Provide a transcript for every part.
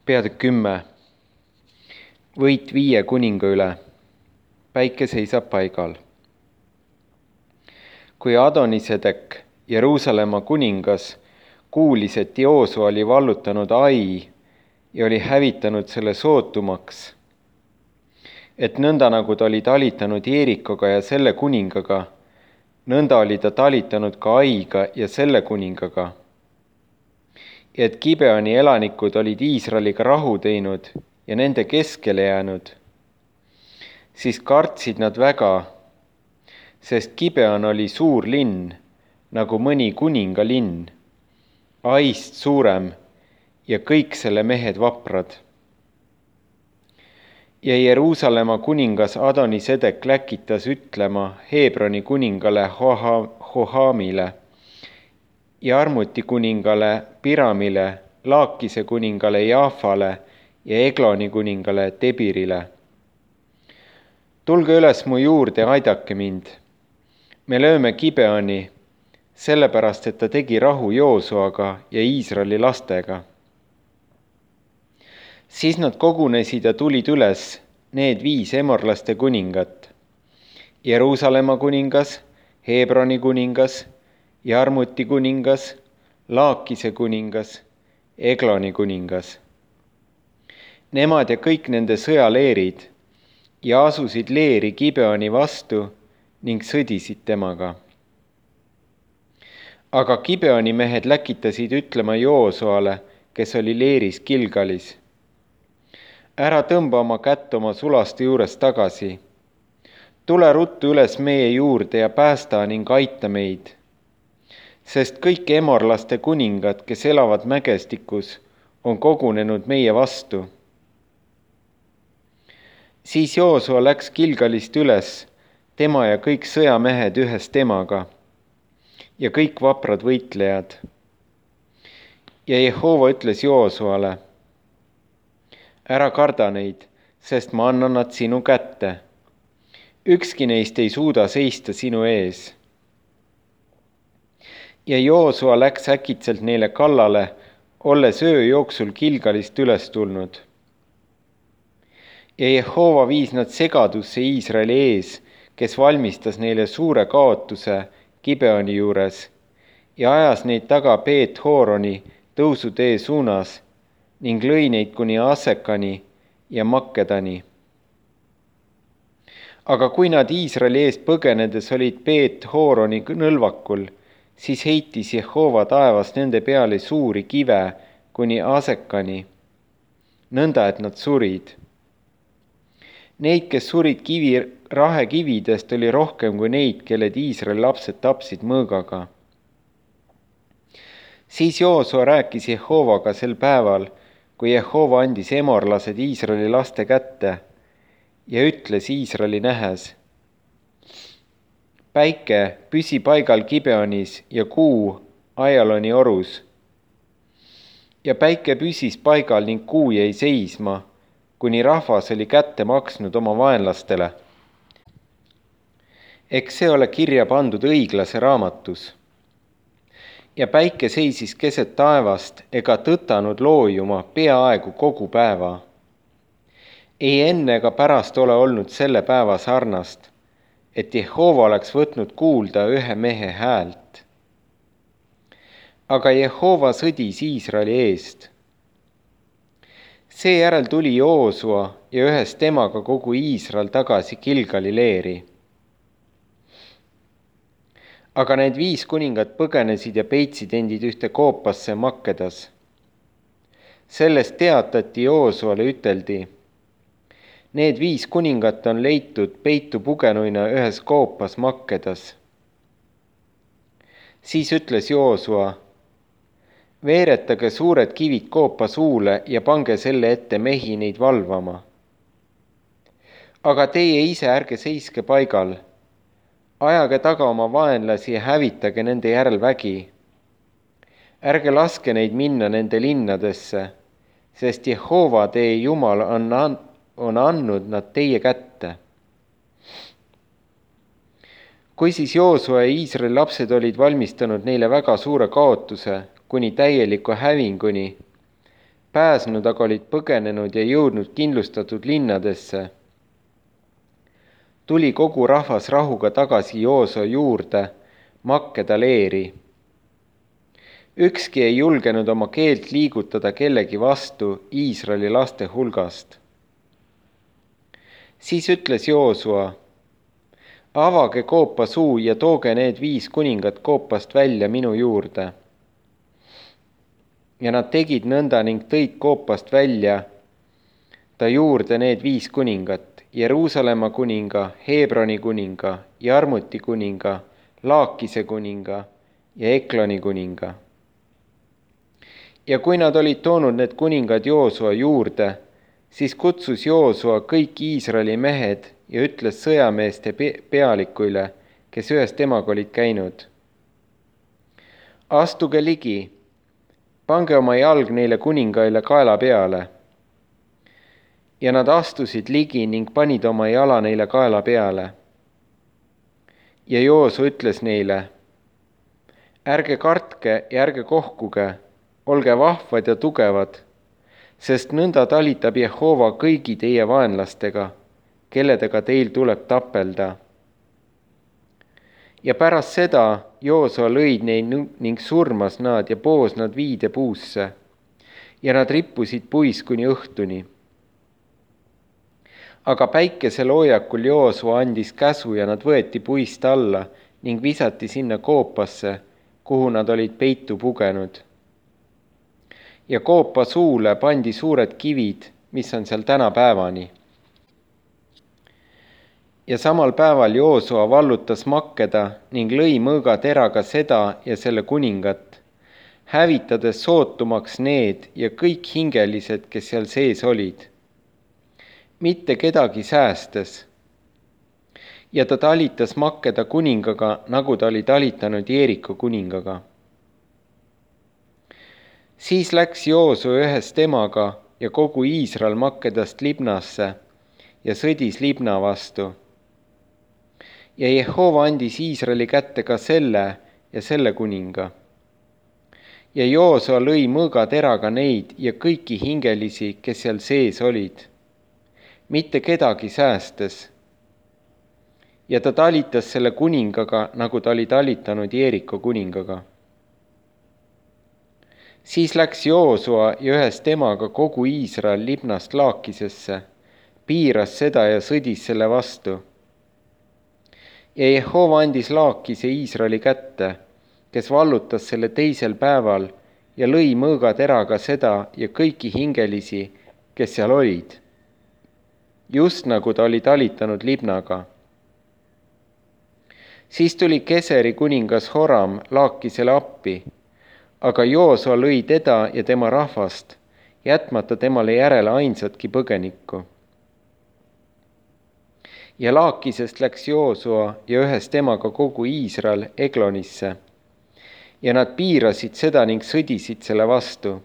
Peatükk 10. Võit 5 kuninga üle. Päike seisab paigal. Kui Adonisedek, Jeruusalemma kuningas, kuulis, et Joosua oli vallutanud Ai ja oli hävitanud selle sootumaks, et nõnda nagu ta oli talitanud Jeerikoga ja selle kuningaga, nõnda oli ta talitanud ka Aiga ja selle kuningaga, ja et Gibeoni elanikud olid Iisraeliga rahu teinud ja nende keskele jäänud, siis kartsid nad väga, sest Gibeon oli suur linn, nagu mõni kuningalinn, Aist suurem ja kõik selle mehed vaprad. Ja Jeruusalemma kuningas Adonisedek läkitas ütlema Hebroni kuningale Hohamile, Jarmuti kuningale Piramile, Laakise kuningale Jaafale ja Egloni kuningale Debirile. Tulge üles mu juurde, aidake mind. Me lööme Gibeoni, sellepärast et ta tegi rahu Joosuaga ja Iisraeli lastega. Siis nad kogunesid ja tulid üles, need 5 emorlaste kuningat, Jeruusalemma kuningas, Hebroni kuningas, Jarmuti kuningas, Laakise kuningas, Egloni kuningas. Nemad ja kõik nende sõjaleerid ja asusid leeri Gibeoni vastu ning sõdisid temaga. Aga Gibeoni mehed läkitasid ütlema Joosuale, kes oli leeris Gilgalis: ära tõmba oma kätt oma sulaste juurest tagasi. Tule ruttu üles meie juurde ja päästa ning aita meid. Sest kõik emorlaste kuningad, kes elavad mägestikus, on kogunenud meie vastu. Siis Joosua läks Gilgalist üles, tema ja kõik sõjamehed ühes temaga ja kõik vaprad võitlejad. Ja Jehova ütles Joosuale: ära karda neid, sest ma annan nad sinu kätte. Ükski neist ei suuda seista sinu ees. Ja Joosua läks äkitselt neile kallale, olles öö jooksul Gilgalist üles tulnud. Ja Jehova viis nad segadusse Iisraeli ees, kes valmistas neile suure kaotuse Gibeoni juures ja ajas neid taga Beet-Horoni tõusutee suunas ning lõi neid kuni Asekani ja Makkedani. Aga kui nad Iisraeli eest põgenedes olid Beet-Horoni nõlvakul, siis heitis Jehova taevast nende peale suuri kive kuni Asekani, nõnda et nad surid. Neid, kes surid rahekividest, oli rohkem kui neid, kelled Iisraeli lapsed tapsid mõõgaga. Siis Joosua rääkis Jehovaga sel päeval, kui Jehova andis emorlased Iisraeli laste kätte ja ütles Iisraeli nähes: päike, püsi paigal Gibeonis ja kuu Aialoni orus. Ja päike püsis paigal ning kuu jäi seisma, kuni rahvas oli kätte maksnud oma vaenlastele. Eks see ole kirja pandud õiglase raamatus. Ja päike seisis keset taevast ega tõtanud loojuma peaaegu kogu päeva. Ei enne ega pärast ole olnud selle päeva sarnast, et Jehova oleks võtnud kuulda ühe mehe häält. Aga Jehova sõdis Iisraeli eest. Seejärel tuli Joosua ja ühes temaga kogu Iisrael tagasi Gilgali leeri. Aga need 5 kuningat põgenesid ja peitsid endid ühte koopasse Makkedas. Sellest teatati Joosuale, üteldi: need 5 kuningat on leitud peitu pugenuina ühes koopas Makkedas. Siis ütles Joosua: veeretage suured kivid koopa suule ja pange selle ette mehi neid valvama. Aga teie ise ärge seiske paigal. Ajage taga oma vaenlasi ja hävitage nende järel vägi. Ärge laske neid minna nende linnadesse, sest Jehova teie Jumal on andnud nad teie kätte. Kui siis Joosua ja Iisraeli lapsed olid valmistanud neile väga suure kaotuse, kuni täieliku hävinguni, pääsnud aga olid põgenenud ja jõudnud kindlustatud linnadesse. Tuli kogu rahvas rahuga tagasi Joosua juurde Makkeda leeri. Ükski ei julgenud oma keelt liigutada kellegi vastu Iisraeli laste hulgast. Siis ütles Joosua: avage koopa suu ja tooge need 5 kuningat koopast välja minu juurde. Ja nad tegid nõnda ning tõid koopast välja ta juurde need 5 kuningat: Jeruusalemma kuninga, Hebroni kuninga, Jarmuti kuninga, Laakise kuninga ja Ekloni kuninga. Ja kui nad olid toonud need kuningad Joosua juurde, siis kutsus Joosua kõik Iisraeli mehed ja ütles sõjameeste pealikuile, kes ühes temaga olid käinud: astuge ligi, pange oma jalg neile kuningaile kaela peale. Ja nad astusid ligi ning panid oma jala neile kaela peale. Ja Joosua ütles neile: ärge kartke ja ärge kohkuge, olge vahvad ja tugevad, sest nõnda talitab Jehova kõigi teie vaenlastega, kelledega teil tuleb tapelda. Ja pärast seda Joosua lõid neid ning surmas nad ja poos nad viidepuusse, ja nad rippusid puis kuni õhtuni. Aga päikeseloojakul Joosua andis käsu ja nad võeti puist alla ning visati sinna koopasse, kuhu nad olid peitu pugenud. Ja koopa suule pandi suured kivid, mis on seal tänapäevani. Ja samal päeval Joosua vallutas Makkeda ning lõi mõõgateraga seda ja selle kuningat, hävitades sootumaks need ja kõik hingelised, kes seal sees olid, mitte kedagi säästes. Ja ta talitas Makkeda kuningaga, nagu ta oli talitanud Jeeriko kuningaga. Siis läks Joosua ühes temaga ja kogu Iisrael Makkedast Libnasse ja sõdis Libna vastu. Ja Jehova andis Iisraeli kätte ka selle ja selle kuninga. Ja Joosua lõi mõõgateraga neid ja kõiki hingelisi, kes seal sees olid, mitte kedagi säästes. Ja ta talitas selle kuningaga, nagu ta oli talitanud Jeeriko kuningaga. Siis läks Joosua ja ühes temaga kogu Iisrael Libnast Laakisesse, piiras seda ja sõdis selle vastu. Ja Jehova andis Laakise Iisraeli kätte, kes vallutas selle teisel päeval ja lõi mõõgateraga seda ja kõiki hingelisi, kes seal olid, just nagu ta oli talitanud Libnaga. Siis tuli Keseri kuningas Horam Laakisele appi, aga Joosua lõi teda ja tema rahvast, jätmata temale järele ainsatki põgenikku. Ja Laakisest läks Joosua ja ühes temaga kogu Iisrael Eglonisse, ja nad piirasid seda ning sõdisid selle vastu.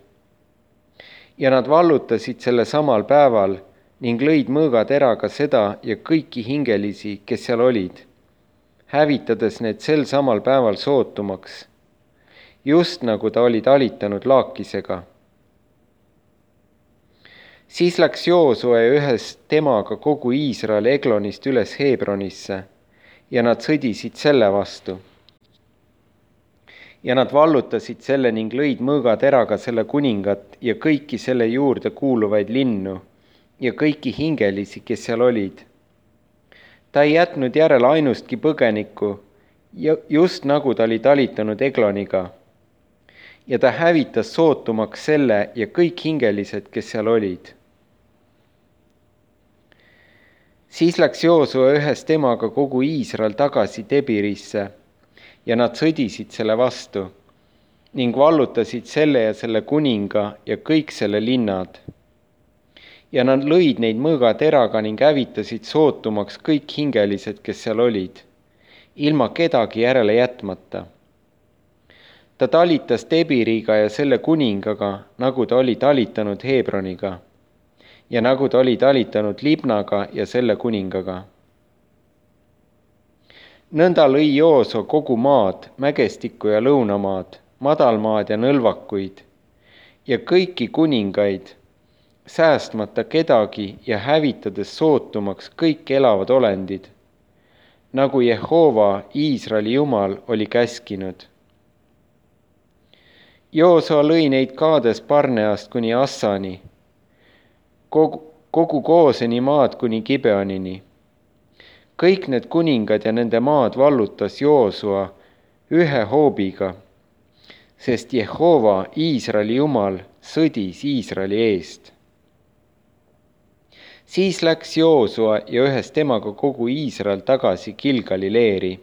Ja nad vallutasid selle samal päeval ning lõid mõõgateraga seda ja kõiki hingelisi, kes seal olid, hävitades need sel samal päeval sootumaks, just nagu ta oli talitanud Laakisega. Siis läks Joosua ja ühes temaga kogu Iisrael Eglonist üles Hebronisse ja nad sõdisid selle vastu. Ja nad vallutasid selle ning lõid mõõgateraga selle kuningat ja kõiki selle juurde kuuluvaid linnu ja kõiki hingelisi, kes seal olid. Ta ei jätnud järele ainustki põgenikku, just nagu ta oli talitanud Egloniga. Ja ta hävitas sootumaks selle ja kõik hingelised, kes seal olid. Siis läks Joosua ühes temaga kogu Iisrael tagasi Debirisse ja nad sõdisid selle vastu ning vallutasid selle ja selle kuninga ja kõik selle linnad. Ja nad lõid neid mõõgateraga ning hävitasid sootumaks kõik hingelised, kes seal olid, ilma kedagi järele jätmata. Ta talitas Debiriga ja selle kuningaga, nagu ta oli talitanud Hebroniga ja nagu ta oli talitanud Libnaga ja selle kuningaga. Nõnda lõi Joosua kogu maad, mägestikku ja lõunamaad, madalmaad ja nõlvakuid ja kõiki kuningaid, säästmata kedagi ja hävitades sootumaks kõik elavad olendid, nagu Jehova, Iisraeli Jumal, oli käskinud. Joosua lõi neid Kaades Barneast kuni Assani, kogu Gooseni maad kuni Gibeonini. Kõik need kuningad ja nende maad vallutas Joosua ühe hoobiga, sest Jehova, Iisraeli Jumal, sõdis Iisraeli eest. Siis läks Joosua ja ühes temaga kogu Iisrael tagasi Gilgali leeri.